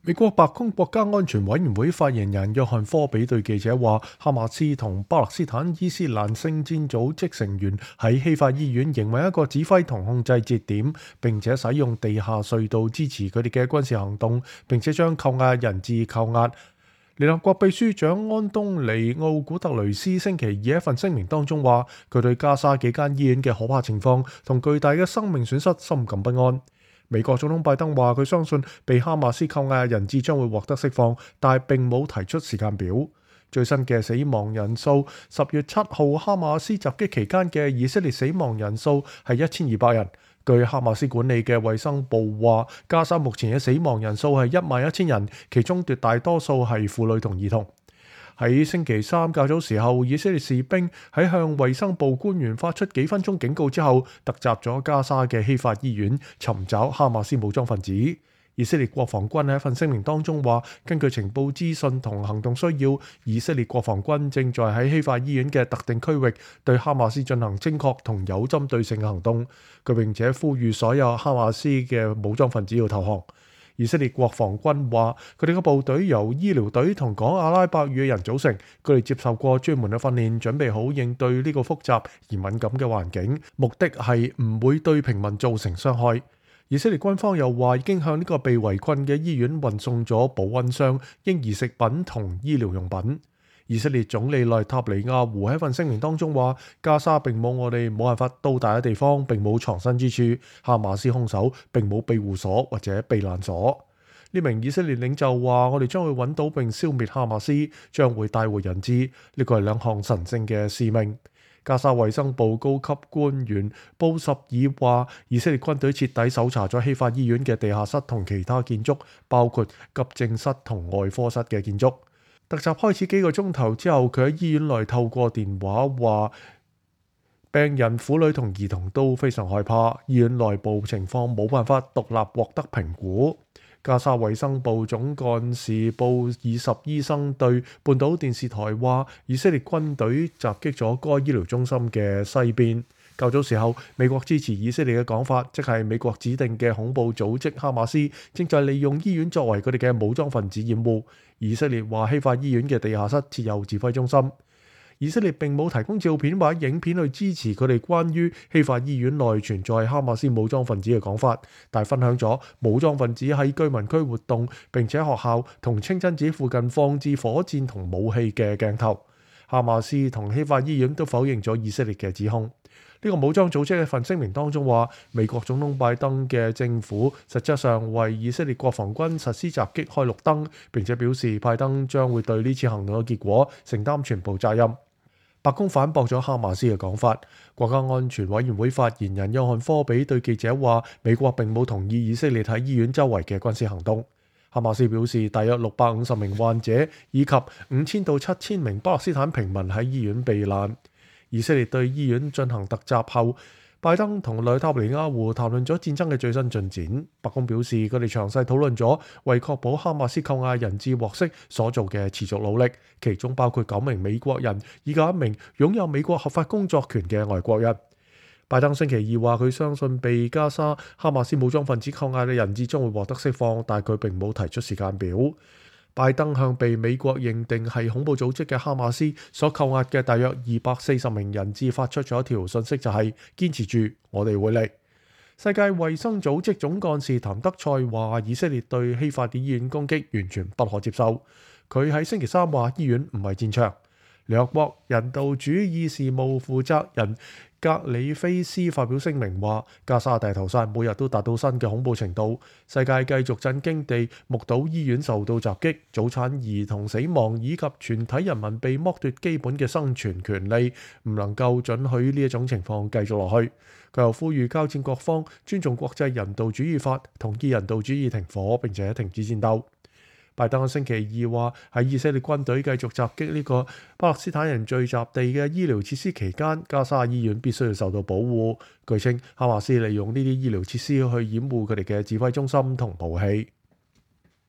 美國白宮國家安全委員會發言人約翰科比對記者話，哈馬斯同巴勒斯坦伊斯蘭聖戰組織成員喺希法醫院營運一個指揮同控制節點，並且使用地下隧道支持佢哋嘅軍事行動，並且將扣押人質扣押。聯合國秘書長安東尼奧古特雷斯星期二喺一份聲明當中話，佢對加沙幾間醫院嘅可怕情況同巨大嘅生命損失深感不安。美國總統拜登話佢相信被哈馬斯扣押嘅人質將會獲得釋放，但係並冇提出時間表。最新嘅死亡人數，10月7號哈馬斯襲擊期間嘅以色列死亡人數係1200人。據哈馬斯管理嘅衛生部話，加沙目前嘅死亡人數係11000人，其中絕大多數係婦女同兒童。喺星期三較早時候，以色列士兵喺向衛生部官員發出幾分鐘警告之後，突襲咗加沙嘅希法醫院，尋找哈馬斯武裝分子。以色列國防軍喺一份聲明當中話，根據情報資訊同行動需要，以色列國防軍正在喺希法醫院嘅特定區域對哈馬斯進行精確同有針對性嘅行動。佢並且呼籲所有哈馬斯嘅武裝分子要投降。以色列國防軍話，佢哋嘅部隊由醫療隊同講阿拉伯語嘅人組成，佢哋接受過專門嘅訓練，準備好應對呢個複雜而敏感嘅環境，目的係唔會對平民造成傷害。以色列軍方又話，已經向呢個被圍困嘅醫院運送咗保溫箱、嬰兒食品同醫療用品。以色列總理內塔尼亞胡喺一份聲明當中話，加沙並冇我哋冇辦法到達嘅地方，並冇藏身之處。哈馬斯兇手並冇庇護所或者避難所。呢名以色列領袖話，我哋將會揾到並消滅哈馬斯，將會帶回人質。呢個係兩項神聖嘅使命。加沙衛生部高級官員布什爾話，以色列軍隊徹底搜查咗希法醫院嘅地下室同其他建築，包括急症室同外科室嘅建築。突襲開始幾個鐘頭之後，佢喺醫院內透過電話話，病人、婦女同兒童都非常害怕，醫院內部情況冇辦法獨立獲得評估。加沙衛生部總幹事布爾什醫生對半島電視台話，以色列軍隊襲擊咗該醫療中心嘅西邊。較早時候，美國支持以色列嘅講法，即係美國指定嘅恐怖組織哈馬斯正在利用醫院作為佢哋嘅武裝分子掩護。以色列話希法醫院嘅地下室設有指揮中心。以色列並冇提供照片或者影片去支持佢哋關於希法醫院內存在哈馬斯武裝分子嘅講法，但係分享咗武裝分子喺居民區活動，並且學校同清真寺附近放置火箭同武器嘅鏡頭。哈馬斯同希法醫院都否認咗以色列嘅指控。呢個武裝組織嘅份聲明當中話，美國總統拜登嘅政府實際上為以色列國防軍實施襲擊開綠燈，並且表示拜登將會對呢次行動嘅結果承擔全部責任。白宮反駁咗哈馬斯嘅講法。國家安全委員會發言人約翰科比對記者話，美國並冇同意以色列喺醫院周圍嘅軍事行動。哈馬斯表示，大約650名患者以及5000到7000名巴勒斯坦平民喺醫院避難。以色列對醫院進行突襲後，拜登同內塔尼亞胡談論咗戰爭嘅最新進展。白宮表示，佢哋詳細討論咗為確保哈馬斯扣押人質獲釋所做嘅持續努力，其中包括9名美國人以及1名擁有美國合法工作權嘅外國人。拜登星期二話，佢相信被加沙哈馬斯武裝分子扣押嘅人質將會獲得釋放，但佢並冇提出時間表。拜登向被美國認定係恐怖組織嘅哈馬斯所扣押嘅大約240名人質發出咗一條信息，就係堅持住，我哋會嚟。世界衛生組織總幹事譚德塞話，以色列對希法嘅醫院攻擊完全不可接受。佢喺星期三話，醫院唔係戰場。聯合國人道主義事務負責人格里菲斯發表聲明話，加沙大屠殺每日都達到新嘅恐怖程度，世界繼續震驚地目睹醫院受到襲擊、早產兒童死亡以及全體人民被剝奪基本嘅生存權利，唔能夠准許呢一種情況繼續落去。佢又呼籲交戰各方尊重國際人道主義法，同意人道主義停火並且停止戰鬥。拜登星期二話，喺以色列軍隊繼續襲擊呢個巴勒斯坦人聚集地嘅醫療設施期間，加沙醫院必須要受到保護。據稱，哈馬斯利用呢啲醫療設施去掩護佢哋嘅指揮中心同武器。